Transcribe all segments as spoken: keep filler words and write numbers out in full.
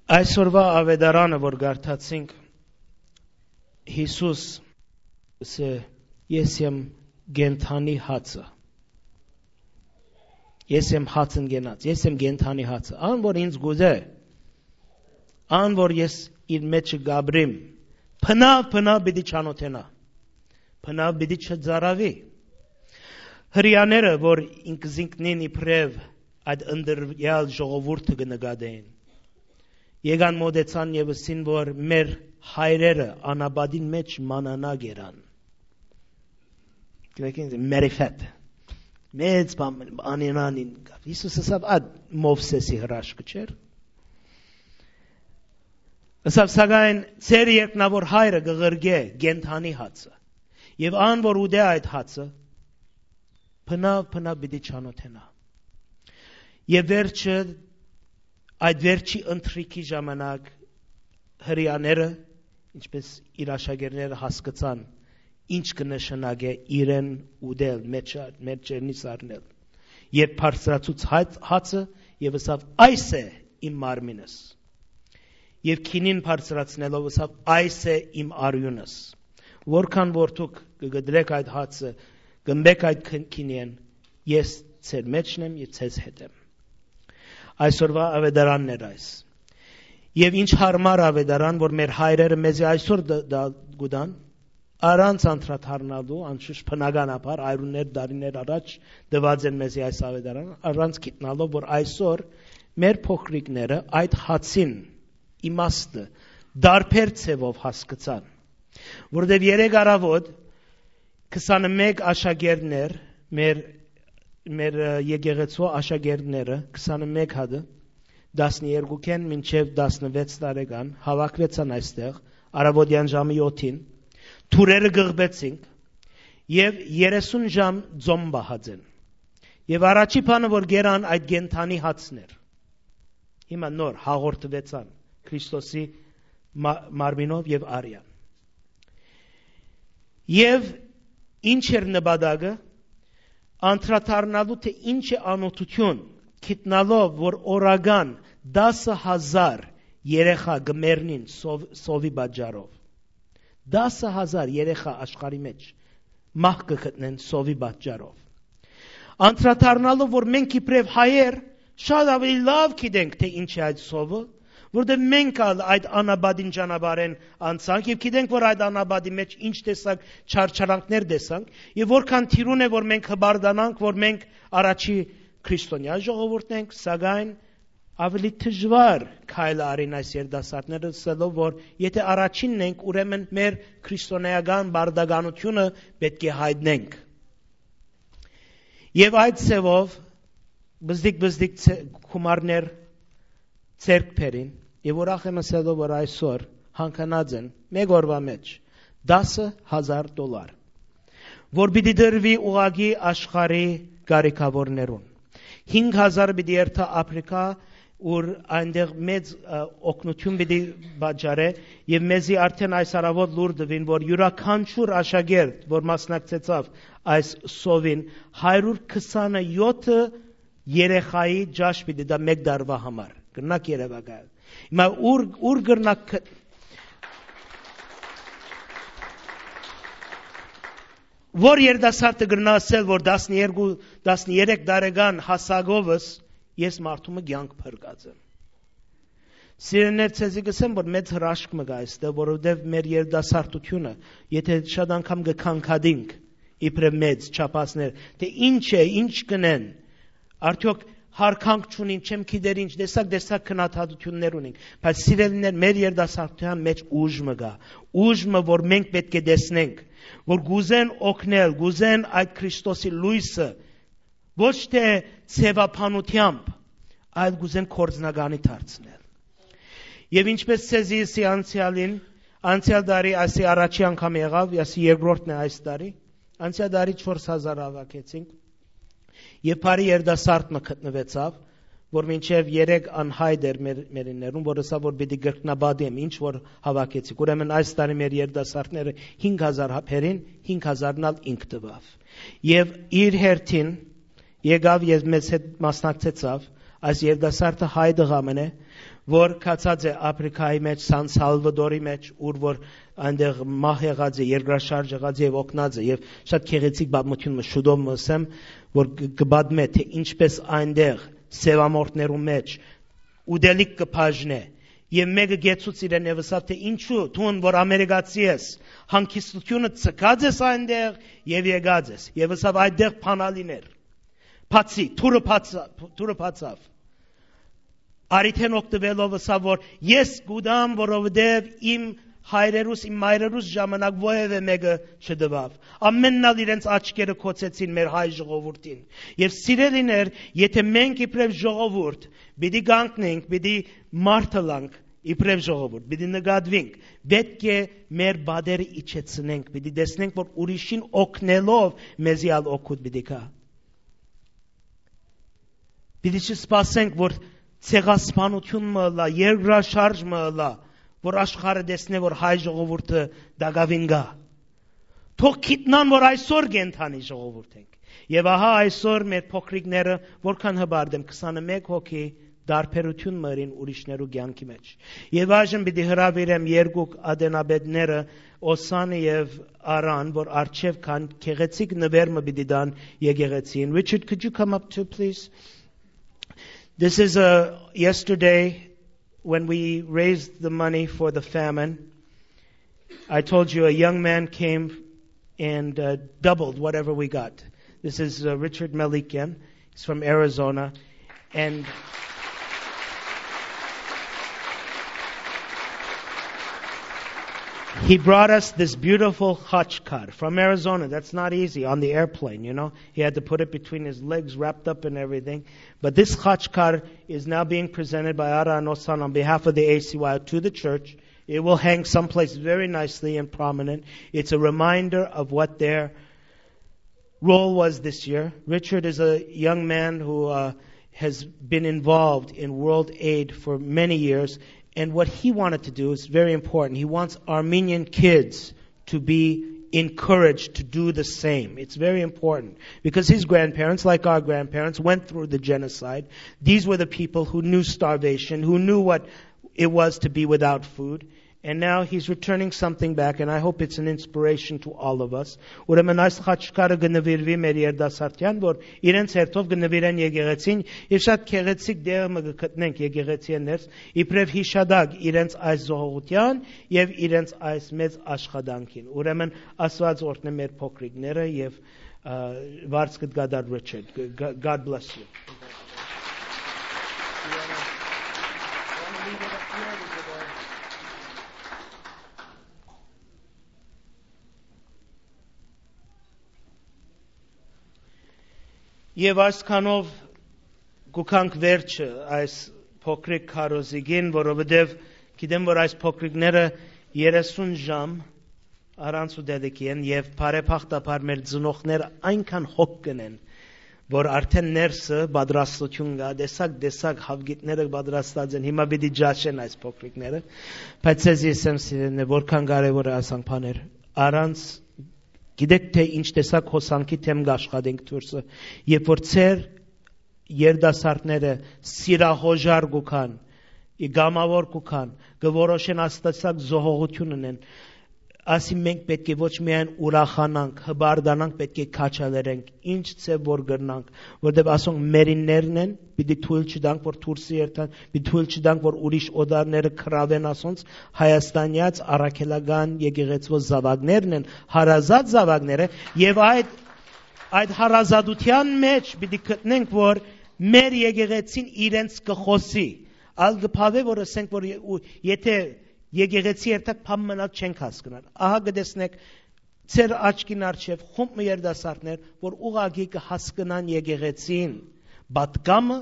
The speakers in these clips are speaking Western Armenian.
Այսօրվա աւետարանը, որ կարդացինք, Յիսուս ըսէ. «Ես եմ կենդանի հացը։ Ես եմ հացն կենաց, ես եմ կենդանի հացը։ Ան որ ինձ գուզէ, ան որ ես իր մէջը կ'ապրիմ, բնաւ, բնաւ պիտի չանօթենայ, բնաւ պիտի չծարաւի»։ Հրեաները, որ ինքզինքնին իբրեւ այդ ընտրեալ ժողովուրդը կը նկատէին, եկան մօտեցան եւ ըսին, որ մեր հայրերը անապատին մէջ մանանա կերան։ Գիտեք ինչ, մերիֆետ։ Մեծ բան, անենան ինկաւ։ Յիսուս ըսաւ, այդ Մովսէսի հրաշքը չէր։ Ըսաւ, սակայն ձեր երկնաւոր հայրը կը ղրկէ կենդանի հացը։ Եւ ան որ ուտէ այդ հացը, բնաւ, բնաւ պիտի չանօթենայ։ Եւ վերջը, այդ վերջի ընթրիքի ժամանակ հրեաները, ինչպես իր աշակերտները, հասկցան ինչ կը նշանակէ իրեն ուտել, մէջ, մէջերնից առնել։ Երբ բարձրացուց հաց-, հացը, եւ ըսաւ. «Այս է իմ մարմինս»։ Եւ քինին բարձրացնելով ըսաւ. «Այս է իմ արիւնս»։ Որքան որ դուք կը կտրեք այդ հացը, կ'ըմպեք այդ քին-, քինիէն, ես ձեր մէջն եմ եւ ձեզ հետ եմ։ Այսօրվա աւետարանն էր այս։ Եւ ինչ յարմար աւետարան, որ մեր հայրերը մեզի այսօր դ-, դ-, կու տան, առանց անդրադառնալու, անշուշտ բնականաբար, արիւներ, տարիներ առաջ տուած են մեզի այս աւետարան, առանց գիտնալով, որ այսօր մեր փոքրիկները այդ հացին իմաստը տարբեր ձեւով հասկցան, որովհետեւ երեկ առաւօտ քսանմէկ աշակերտներ, մեր, մեր, ը, եկեղեցու աշակերտները, քսանմէկ հատը, տասներկուքէն մինչեւ տասնվեց տարեկան, հաւաքուեցան այստեղ, առաւօտեան ժամի յոթին, թուրերը կղպեցինք եւ երեսուն ժամ ծոմ պահած են։ Եւ առաջի բանը, որ կերան, այդ կենդանի հացն էր։ Հիմա նոր հաղորդուեցան Քրիստոսի մա-, մարմինով եւ արեան։ Եւ ինչ էր նպատակը, անդրադառնալու, թե ինչ է անօթութիւն, գիտնալով, որ օրական տասը հազար երեխայ կը մեռնին սով-, սովի պատճառով։ Տասը հազար երեխայ աշխարհի մէջ մահ կը գտնեն սովի պատճառով։ Անդրադառնալով, որ մենք իբրեւ հայեր շատ աւելի լաւ գիտենք, թե ինչ է այդ սովը, որովհետեւ մենք ալ այդ անապատին ճանապարհէն անցանք եւ գիտենք, որ այդ անապատի մէջ ինչ տեսակ չարչարանքներ տեսանք եւ որքան թիրուն է, որ մենք հպարտանանք, որ մենք առաջի քրիստոնեայ ժողովուրդն ենք, սակայն աւելի դժուար քայլը առին այս երիտասարդները, ըսելով, որ եթե առաջինն ենք, ուրեմն մեր քրիստոնեական պարտականութիւնը պէտք է յայտնենք։ Եւ այդ ձեւով բզդիկ-բզդիկ ցե-, գումարներ ձեռք բերին, եւ ուրախ եմ ըսելով, որ այսօր հանգանած են մէկ օրուայ մէջ տասը հազար դոլար, որ պիտի տրուի ուղղակի աշխարհի կարիքաւորներուն։ Հինգ հազար պիտի երթայ Აფրիկա, ուր այնտեղ մեծ, ը, օգնութիւն պիտի պատճառէ, եւ մեզի արդէն այս առաւօտ լուր տուին, որ իւրաքանչիւր աշակերտ, որ մասնակցեցաւ այս սովին, հարիւր քսանը յոթը երեխայի ճաշ պիտի տայ մէկ տարուայ համար։ Կրնաք երեւակայել։ Հիմա ուր, ուր կրնաք գ-, որ երիտասարդը կրնայ ասել, որ տասներկու, տասներեք տարեկան հասակովս ես մարդու մը կեանք փրկած եմ։ Սիրելիներ, ցեզի կ'ըսեմ, որ մեծ հրաշք մը կայ այստեղ, որովհետեւ մեր երիտասարդութիւնը, եթե շատ անգամ կը քանքատինք, իբրեւ մեծ չափածներ, թե ինչ է, ինչ կ'ընեն, արդեօք յարգանք չունին, չեմ գիտեր ինչ, տեսակ, տեսակ քննադատութիւններ ունին, բայց սիրելիներ, մեր երիտասարդութեան մէջ ուժ մը կայ, ուժ մը, որ մենք պէտք է տեսնենք, որ կ'ուզեն օգնել, կ'ուզեն այդ Քրիստոսի լոյսը ոչ թե ձեւաբանութեամբ, այլ կ'ուզեն գործնականի դարձնել։ Եւ ինչպես ցեզի ըսի անցեալին, անցեալ տարի, այսի առաջի անգամ եղաւ, այսի երկրորդն է այս տարի, անցեալ տարի չորս հազար հաւաքեցինք, եւ բարի երիտասարդ մը գտնուեցաւ, որ մինչեւ երեք անյայտ էր մեր, մերիններուն, որ ըսաւ, որ պիտի կրկնապատիեմ, ինչ որ հաւաքեցիք։ Ուրեմն այս տարի մեր երիտասարդները հինգ հազար հա-, բերին, հինգ հազարն ալ ինք տուաւ։ Եւ իր հերթին եկաւ եւ մեզ հետ մասնակցեցաւ Այս երիտասարդը հայ տղայ մըն է, որ գացած է Ափրիկայի մէջ, Սան Սալվատորի մէջ, ուր որ այնտեղ մահ եղած է, երկրաշարժ եղած է եւ օգնած է, եւ շատ գեղեցիկ պատմութիւն մը շուտով մը ըսեմ, որ կ-, կը պատմէ, թէ ինչպէս այնտեղ սեւամորթներու մէջ ուտելիք կը բաժնէ, եւ մէկը գեցուց իրեն եւ ըսաւ, թէ ինչու դուն, որ ամերիկացի ես, հանգստութիւնը ցկած ես այնտեղ եւ եկած ես, եւ ըսաւ, այդտեղ բանալին էր, բացի, դուռը բացա-, դուռը բացաւ։ Արիթէն օգտուելով ըսաւ, որ ես կուտամ, որովհետեւ իմ հայրերուս, իմ մայրերուս ժամանակ որեւէ մէկը չտուաւ։ Ամենն ալ իրենց աչքերը գոցեցին մեր հայ ժողովուրդին։ Եւ սիրելիներ, եթէ մենք իբրեւ ժողովուրդ պիտի կանգնենք, պիտի մարդ ըլանք, իբրեւ ժողովուրդ պիտի նկատուինք, պէտք է մեր պատերը իջեցնենք, պիտի տեսնենք, որ ուրիշին օգնելով մեզի ալ օգուտ պիտի գայ։ Պիտի չսպասենք, որ ցեղասպանութիւն մը ըլլայ, երկրաշարժ մը ըլլայ, որ աշխարհը տեսնէ, որ հայ ժողովուրդը տակաւին կայ։ Թող գիտնան, որ այսօր կենդանի ժողովուրդ ենք։ Եւ ահա այսօր մեր փոքրիկները, որքան հպարտ եմ, քսանմեկ հոգի, տարբերութիւն մը ըրին ուրիշներու կեանքի մէջ։ Եւ այժմ պիտի հրաւիրեմ երկուք ատենապետները, Օսանը եւ Արան, որ առջեւ կան, գեղեցիկ նուէր մը պիտի տան եկեղեցին։ Richard, could you come up too, please? This is a, yesterday when we raised the money for the famine, I told you a young man came and, uh, doubled whatever we got. This is, uh, Richard Melikian. He's from Arizona. And he brought us this beautiful khachkar from Arizona. That's not easy on the airplane, you know. He had to put it between his legs, wrapped up and everything. But this khachkar is now being presented by Ara and Osan on behalf of the A C Y to the church. It will hang someplace very nicely and prominent. It's a reminder of what their role was this year. Richard is a young man who, uh, has been involved in World Aid for many years. And what he wanted to do is very important. He wants Armenian kids to be encouraged to do the same. It's very important because his grandparents, like our grandparents, went through the genocide. These were the people who knew starvation, who knew what it was to be without food. And now he's returning something back, and I hope it's an inspiration to all of us. Ուրեմն այս խաչքարը կը նվիրուի մեր երդասարտյան, որ իրենց հերթով կը նվիրեն եկեղեցին, եւ շատ գեղեցիկ դեր մը կը գտնենք եկեղեցի ներս, իբրեւ յիշատակ իրենց այս զոհողութեան եւ իրենց այս մեծ աշխատանքին։ Ուրեմն Աստուած օրհնէ մեր փոքրիկները եւ, ը, վարձ կը կատարի Richard. G-, God bless you. Եւ այսքանով կու գանք վերջը այս փոքրիկ քարոզիկին, որովհետեւ գիտեմ, որ այս փոքրիկները երեսուն ժամ առանց ուտելիքի են, եւ բարեբախտաբար մեր ծնողները այնքան հոգ կ'ընեն, որ արդէն ներսը պատրաստութիւն կայ, տեսակ-տեսակ հաւկիտները պատրաստած են, հիմա պիտի ճաշեն այս փոքրիկները, բայց ձեզի ըսեմ, սիրելիներ, որքան կարեւոր է ասանք բաներ, առանց, գիտեք, թէ ինչ տեսակ հոսանքի դէմ կաշխատենք դուրսը, երբ որ ձեր երդասարտները սիրահոժար կու գան, ի կամաւոր կու գան, կը որոշեն աստասակ զոհողութիւն ընեն, ասի մենք պէտք է ոչ միայն ուրախանանք, հպարտանանք, պէտք է քաջալերենք, ինչ ձեւ որ կրնանք, որտեւ ասոնք մերիններն են, պիտի թոյլ չտանք, որ դուրսը երթան, պիտի թոյլ չտանք, որ ուրիշ օտարները գրաւեն ասոնց, Հայաստանեաց առաքելական եկեղեցւոյ զաւակներն են, հարազատ զաւակները, եւ այդ, այդ հարազատութեան մէջ պիտի գտնենք, որ մեր եկեղեցին իրենց կը խօսի, ալ կը բաւէ, որ ըսենք, որ ե-, ու-, եթէ եկեղեցի երթակ բան մնալ չենք հասկնար։ Ահա կը տեսնեք ձեր աչքին առջեւ խումբ մը երդասարտներ, որ ուղղակի կը հասկնան եկեղեցին պատկամը,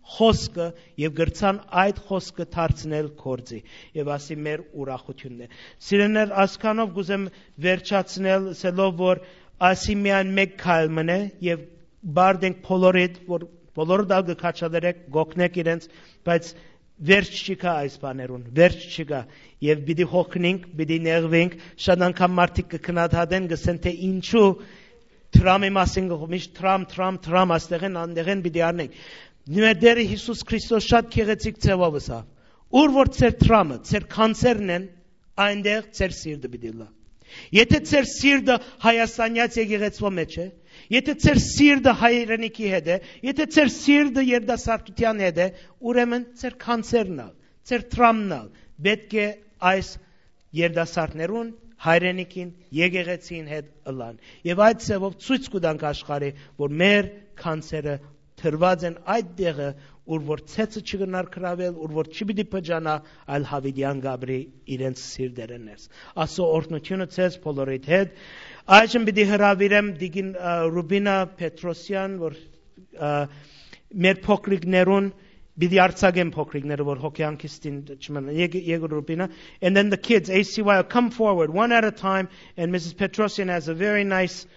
խօսքը, եւ կրցան այդ խօսքը դարձնել գործի, եւ ասի մեր ուրախութիւնն է։ Սիրելիներ, ասքանով կուզեմ վերջացնել, ասելով, որ ասի միայն մեկ քայլ մնե, եւ բարդ ենք բոլորիդ, որ բոլորը դալ կը քաջալերեք, կօգնեք իրենց, բայց վերջ չի գա այս բաներուն, վերջ չի գա, եւ պիտի հոգնենք, պիտի նեղվենք, շատ անգամ մարդիկ կը քննադատեն, կ'ըսեն, թէ ինչու Թրամի մասին գլխ-, միշտ Թրամ, Թրամ, Թրամ, աստեղեն, անդեղեն պիտի առնենք։ Մեր Տէրը Յիսուս Քրիստոս շատ գեղեցիկ ձեւով ըսաւ. «Ուր որ ձեր դրամը, ձեր գանձերն են, այնտեղ ձեր սիրտը պիտի լա»։ Եթե ձեր սիրտը հայաստանեաց եկեղեցւոյ մէջ է, եթե ձեր սիրտը հայրենիքի հետ է, եթե ձեր սիրտը երիտասարդութեան հետ է, ուրեմն ձեր գանձերն ալ, ձեր դրամն ալ պէտք է այս երիտասարդներուն, հայրենիքին, եկեղեցին հետ ըլլան։ Եւ այդ ձեւով ցոյց կու տանք աշխարհի, որ մեր գանձերը դրուած են այդ տեղը, ուր որ ցեցը չկրնար գրաւել, ուր որ չի պիտի փճանայ, այլ յաւիտեան կ'ապրի իրենց սիրտերէն ներս։ Աստուծոյ օրհնութիւնը ձեզ բոլորիդ հետ։ Այժմ պիտի հրաւիրեմ տիկին, ը, Ռուբինա Պետրոսեան, որ, ը, մեր փոքրիկներուն պիտի արձակեմ, փոքրիկները, որ հոգեանքիստին չմնան։ Եկե, եկե Ռուբինա. And then the kids, A C Y, come forward one at a time. And Missus Petrosian has a very nice,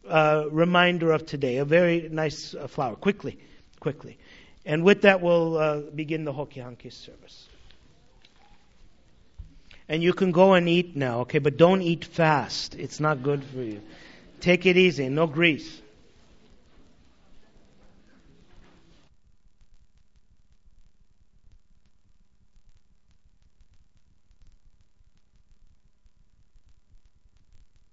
uh, reminder of today, a very nice, uh, flower. Quickly, quickly. And with that, we'll, uh, begin the Hokihanki service. And you can go and eat now, okay? But don't eat fast. It's not good for you. Take it easy, no grease.